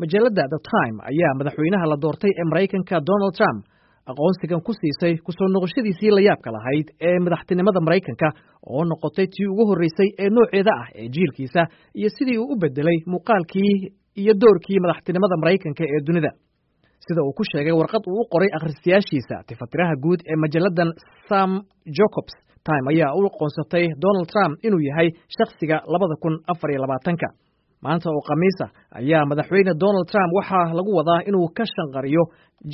Majalladda The Time ayaa madaxweynaha la doortay ee Maraykanka Donald Trump aqoonsigan ku siisay kusoo noqoshadiisii la yaabka lahayd ee madaxtinimada Maraykanka, oo noqotay tii ugu horreysay ee nooceeda ah ee jiilkiisa, iyo sidii uu u bedelay muuqaalkii iyo doorkii madaxtinimada Maraykanka ee dunida. Sida uu ku sheegay warqad uu u qoray akhristayaashiisa, tifatiraha guud ee majalladan Sam Jacobs, Time ayaa u aqoonsatay Donald Trump inuu yahay shakhsiga 2024-ka. Maanta oo Khamiisa ayaa madaxweyne Donald Trump waxaa lagu wadaa inuu ka shanqariyo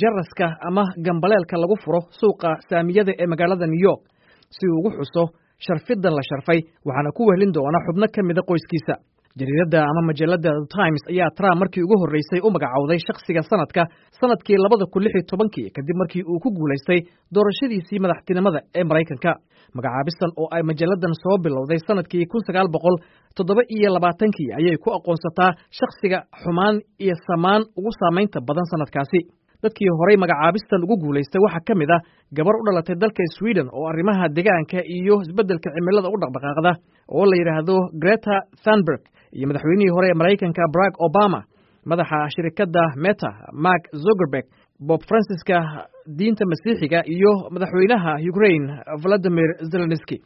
jaraska ama gambaleelka lagu furo suuqa saamiyada ee magaalada New York si uu ugu xuso sharfidan la sharfay, waxaana ku wehlin doona xubno ka mida qoyskiisa. Jariiradda ama majalladda The Times ayaa Trump markii ugu horreysay u magacowday shakhsiga sanadka sanadkii 2016-kii, kadib markii uu ku guulaystay doorashadiisii madaxtinimada ee Maraykanka. Magacaabistan oo ay majalladan soo bilowday sanadkii 1927-kii ayay ku aqoonsataa shakhsiga xumaan iyo samaan ugu saamaynta badan sanadkaasi. Dadkii horay magacaabistan ugu guulaystay waxaa ka mid ah gabar u dhalatay dalka Sweden oo arrimaha deegaanka iyo isbeddelka cimilada u dhaqdhaqaaqda oo la yidhaahdo Greta Thunberg, iyo madaxweynihii hore ee Maraykanka Barack Obama, madaxa shirikadda Meta Mark Zuckerberg, Bob Franciska diinta Masiixiga iyo madaxweynaha Ukraine Valadimir Zelenski.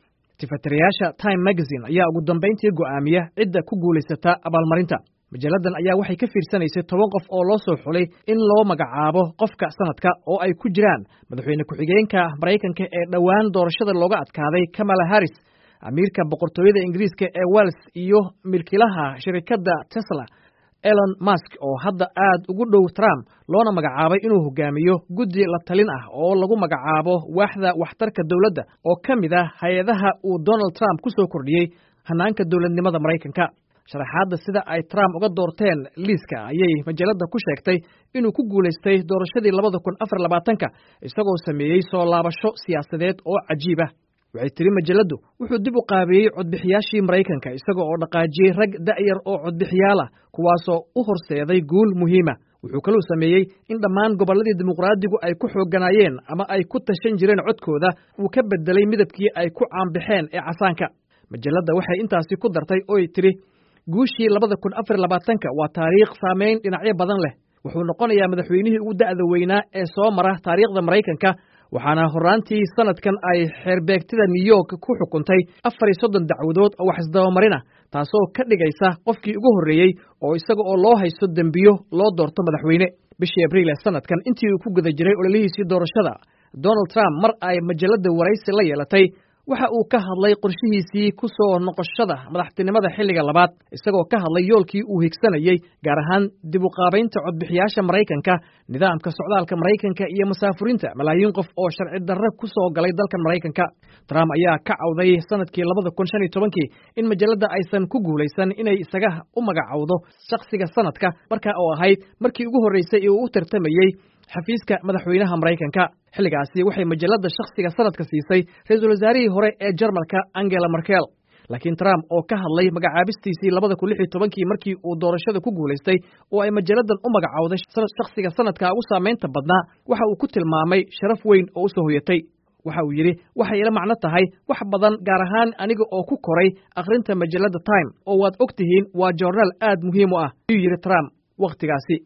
Tifatirayaasha Time Magazine ayaa ugu dambayntii go'aamiya cidda ku guulaysata abaalmarinta. Majalladan ayaa waxay ka fiirsanaysay 10 qof oo loo soo xulay in loo magacaabo qofka sanadka, oo ay ku jiraan madaxweyne ku-xigeenka Maraykanka ee dhowaan doorashada looga adkaaday Kamala Harris, amiirka boqortooyada Ingiriiska ee Wales iyo milkiilaha shirikadda Tesla Elon Musk, oo hadda aad ugu dhow Trump loona magacaabay inuu hogaamiyo guddi la talin ah oo lagu magacaabo waaxda waxtarka dowladda, oo ka mid ah hay-adaha uu Donald Trump ku soo kordhiyey hanaanka dowladnimada Maraykanka. Sharaxaadda sida ay Trump uga doorteen liiska ayay majalladda ku sheegtay inuu ku guulaystay doorashadii 2024-ka isagoo sameeyey soo laabasho siyaasadeed oo cajiib ah. Waxay tiri majalladdu wuxuu dib u qaabeeyey codbixiyaashii Maraykanka, isaga oo dhaqaajiyey rag da'yar oo codbixiyaal ah, kuwaasoo u horseeday guul muhiima. Wuxuu kaluu sameeyey in dhammaan gobolladii dimuqraadigu ay ku xoogganaayeen ama ay ku tashan jireen codkooda uu ka bedelay midabkii ay ku caanbaxeen ee casaanka. Majalladda waxay intaasi ku dartay oy tiri guushii 2024-ka waa taariikh saameyn dhinacyo badan leh. Wuxuu noqonayaa madaxweynihii ugu da'da weynaa ee soo mara taariikhda Maraykanka, waxaana horraantii sanadkan ay xeerbeegtida New York ku xukuntay 34 dacwadood oo wax isdabamarina, taasoo ka dhigaysa qofkii ugu horreeyey oo isaga oo loo haysto dembiyo loo doorto madaxweyne. Bishii Abriil ee sanadkan, intii uu ku guda jiray ololihiisii doorashada, Donald Trump mar ay majalladda waraysi la yeelatay waxa uu ka hadlay qorshihiisii ku soo noqoshada madaxtinimada xilliga labaad, isagoo ka hadlay yoolkii uu higsanayey, gaar ahaan dib u qaabaynta codbixiyaasha Maraykanka, nidaamka socdaalka Maraykanka iyo masaafurinta malaayiin qof oo sharci darro ku soo galay dalka Maraykanka. Trump ayaa ka cawday sanadkii 2015-kii in majalladda aysan ku guulaysan inay isaga u magacowdo shakhsiga sanadka, markaa oo ahayd markii ugu horreysay ee uu u tartamayey xafiiska madaxweynaha Maraykanka. Xilligaasi waxay majalladda shakhsiga sanadka siisay ra-iisul wasaarihii hore ee Jarmalka Angela Merkel. Laakiin Trump oo ka hadlay magacaabistiisii 2016-kii markii uu doorashada ku guulaystay oo ay majalladan u magacowday shakhsiga sanadka ugu saamaynta badnaa, waxa uu ku tilmaamay sharaf weyn oo u soo hoyatay. Waxa uu yidhi, waxay ila macno tahay wax badan, gaar ahaan aniga oo ku koray akhrinta majalladda Time, oo waad og tihiin waa joornaal aad muhiim u ah, ayuu yidhi Trump wakhtigaasi.